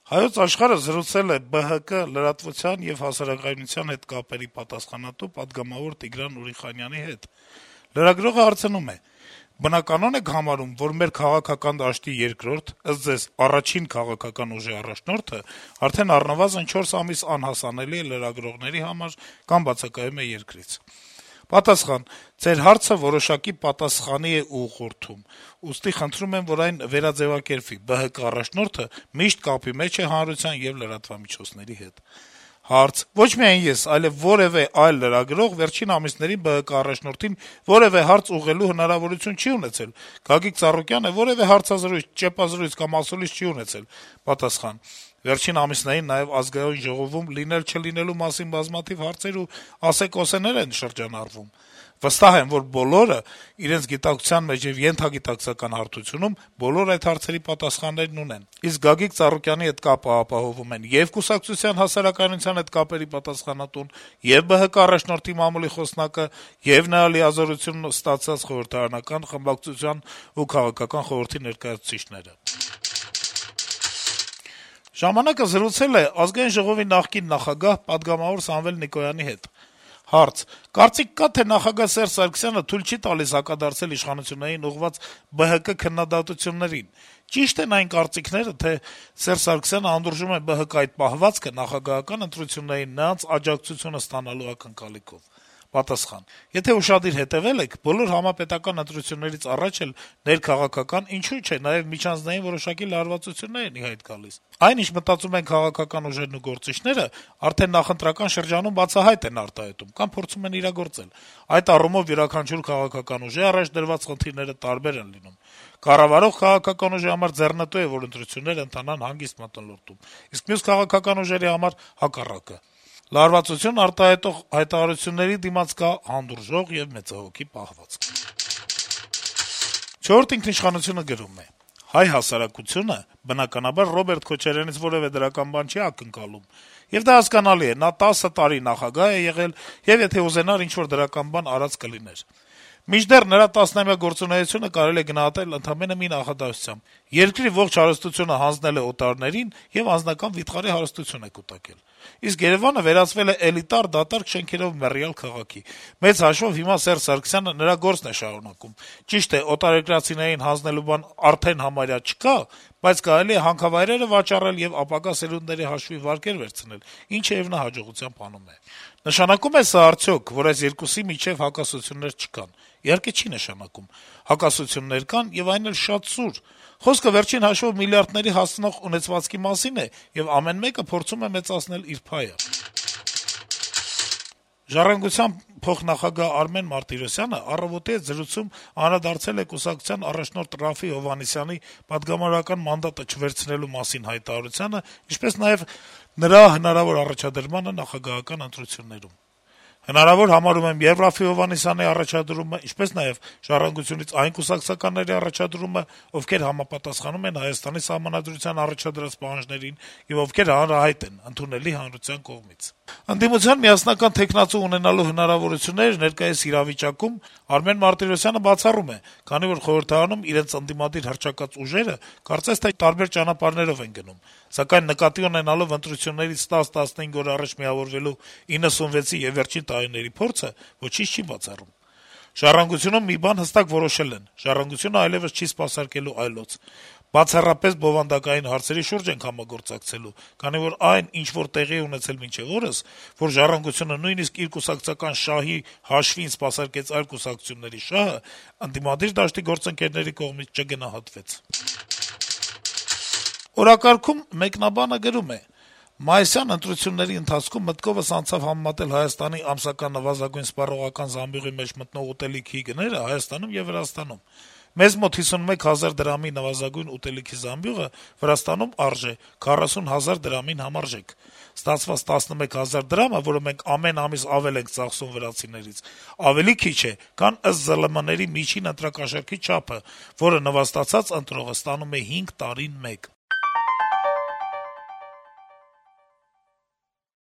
Հայոց աշխարհը զրուցել է ԲՀԿ լրատվության եւ հասարակայնության հետ կապերի պատասխանատու պատգամավոր Տիգրան Ուրիխանյանի հետ: Լրագրողը հարցնում է. - «Բնականոն եք համարում, որ մեր քաղաքական դաշտի երկրորդ, ըստ ձեզ, առաջին քաղաքական ուժի առաջնորդը արդեն առնվազն 4 ամիս անհասանելի է լրագրողների համար կամ բացակայում է երկրից»: Պատասխան. - «Ձեր հարցը որոշակի պատասխանի է ուղղորդում, ուստի խնդրում եմ, որ այն վերաձեւակերպվի: ԲՀԿ առաջնորդը միշտ կապի մեջ է հանրության եւ լրատվամիջոցների հետ»: Հարց. - «Ոչ միայն ես, այլեւ որեւէ այլ լրագրող վերջին ամիսներին ԲՀԿ առաջնորդին որեւէ հարց ուղղելու հնարավորություն չի ունեցել: Գագիկ Ծառուկյանը որեւէ հարցազրույց, ճեպազրույց կամ ասուլիս չի ունեցել»: Պատասխան. - «Վերջին ամիսներին նաեւ Ազգային ժողովում լինել-չլինելու մասին բազմաթիվ հարցեր ու ասեկոսեներ են շրջանառվում: Վստահ եմ, որ բոլորը իրենց գիտակցության մեջ եւ ենթագիտակցական հարթությունում բոլոր այդ հարցերի պատասխաններն ունեն: Իսկ Գագիկ Ծառուկյանի հետ կապը ապահովում են ե'ւ կուսակցության հասարակայնության հետ կապերի պատասխանատուն, ե'ւ ԲՀԿ առաջնորդի մամուլի խոսնակը, ե'ւ նրա լիազորությունն ստացած խորհրդարանական խմբակցության ու քաղաքական խորհրդի ներկայացուցիչները»: «Ժամանակ»-ը զրուցել է Ազգային ժողովի նախկին նախագահ, պատգամավոր Սամվել Նիկոյանի հետ: Հարց. - «Կարծիք կա, թե նախագահ Սերժ Սարգսյանը թույլ չի տալիս հակադարձել իշխանություններին ուղղված ԲՀԿ քննադատություններին: Ճի՞շտ են այն կարծիքները, թե Սերժ Սարգսյանը հանդուրժում է ԲՀԿ այդ պահվածքը նախագահական ընտրություններին նրանց աջակցությունը ստանալու ակնկալիքով»: Պատասխան. - «Եթե ուշադիր հետեւել եք, բոլոր համապետական ընտրություններից առաջ էլ ներքաղաքական, ինչու՞ չէ, նաեւ միջանձնային որոշակի լարվածություններ են ի հայտ գալիս: Այն, ինչ մտածում են քաղաքական ուժերն ու գործիչները, արդեն նախընտրական շրջանում բացահայտ են արտահայտում կամ փորձում են իրագործել: Այդ առումով յուրաքանչյուր քաղաքական ուժի առաջ դրված խնդիրները տարբեր են լինում: Կառավարող քաղաքական ուժի համար ձեռնտու է, որ ընտրությունները ընթանան հանգիստ մթնոլորտում, իսկ մյուս քաղաքական ուժերի համար հակառակը: Լարվածություն արտահայտող հայտարարությունների դիմաց կա հանդուրժող եւ մեծահոգի պահվածք»: «Չորրորդ ինքնիշխանություն»-ը գրում է. - «Հայ հասարակությունը, բնականաբար, Ռոբերտ Քոչարյանից որեւէ դրական բան չի ակնկալում: Եվ դա հասկանալի է. նա 10 տարի նախագահ է եղել եւ եթե ուզենար ինչ-որ դրական բան արած կլիներ: Մինչդեռ նրա տասնամյա գործունեությունը կարելի է գնահատել ընդամենը մի նախադասությամբ. երկրի ողջ հարստությունը հանձնել է օտարներին եւ անձնական վիթխարի հարստություն է կուտակել: Իսկ Երեւանը վերածվել է էլիտար, դատարկ շենքերով մեռյալ քաղաքի: Մեծ հաշվով հիմա Սերժ Սարգսյանը նրա գործն է շարունակում: Ճիշտ է, օտարերկրացիներին հանձնելու բան արդեն համարյա չկա, բայց կարելի է հանքավայրերը վաճառել եւ ապագա սերունդների հաշվի վարկեր վերցնել, ինչը եւ նա հաջողությամբ անում է: Նշանակո՞ւմ է սա արդյոք, որ այս երկուսի միջեւ հակասություններ չկան: Իհարկե չի նշանակում: Հակասություններ կան եւ այն էլ շատ սուր: Խոսքը վերջին հաշվով միլիարդների հասնող ունեցվածքի մասին է, եւ ամեն մեկը փորձում է մեծացնել իր փայը»: «Ժառանգության» փոխնախագահ Արմեն Մարտիրոսյանը «Առավոտ»-ի հետ զրույցում անդրադարձել է կուսակցության առաջնորդ Րաֆֆի Հովհաննիսյանի պատգամավորական մանդատը չվերցնելու մասին հայտարարությանը, ինչպես նաեւ նրա հնարավոր առաջադրմանը նախագահական ընտրություններում: «Հնարավոր համարում եմ ե'ւ Րաֆֆի Հովհաննիսյանի առաջադրումը, ինչպես նաեւ «Ժառանգություն»-ից այն կուսակցականների առաջադրումը, ովքեր համապատասխանում են Հայաստանի Սահմանադրության առաջադրած պահանջներին եւ ովքեր հանրահայտ են, ընդունելի հանրության կողմից»: Ընդդիմության միասնական թեկնածու ունենալու հնարավորությունները ներկայիս իրավիճակում Արմեն Մարտիրոսյանը բացառում է, քանի որ խորհրդարանում իրենց ընդդիմադիր հռչակած ուժերը կարծես թե տարբեր ճանապարհներով են գնում: Սակայն նկատի ունենալով ընտրություններից 10-15 օր առաջ միավորվելու 96-ի եւ վերջին տարիների փորձը, ոչինչ չի բացառում: «Ժառանգությունում մի բան հստակ որոշել են. «Ժառանգությունը» այլեւս չի սպասարկելու այլոց: Բացառապես բովանդակային հարցերի շուրջ ենք համագործակցելու, քանի որ այն, ինչ որ տեղի է ունեցել մինչեւ օրս, որ «Ժառանգությունը» նույնիսկ իր կուսակցական շահի հաշվին սպասարկեց այլ կուսակցությունների շահը, ընդդիմադիր դաշտի գործընկերների կողմից չգնահատվեց»: Օրակարգում մեկնաբանը գրում է. - «Մայիսյան ընտրությունների ընթացքում մտքովս անցավ համեմատել Հայաստանի ամսական նվազագույն սպառողական զամբյուղի մեջ մտնող ուտելիքի գները Հայաստանում եւ Վրաստանում: Մեզ մոտ 51 հազար դրամի նվազագույն ուտելիքի զամբյուղը Վրաստանում արժե 40 հազար դրամին համարժեք: Ստացված 11 հազար դրամը, որը մենք ամեն ամիս ավել ենք ծախսում վրացիներից, ավելի քիչ է, քան ըստ ԶԼՄ-ների միջին ընտրակաշառքի չափը, որը նվաստացած ընտրողը ստանում է 5 տարին մեկ»: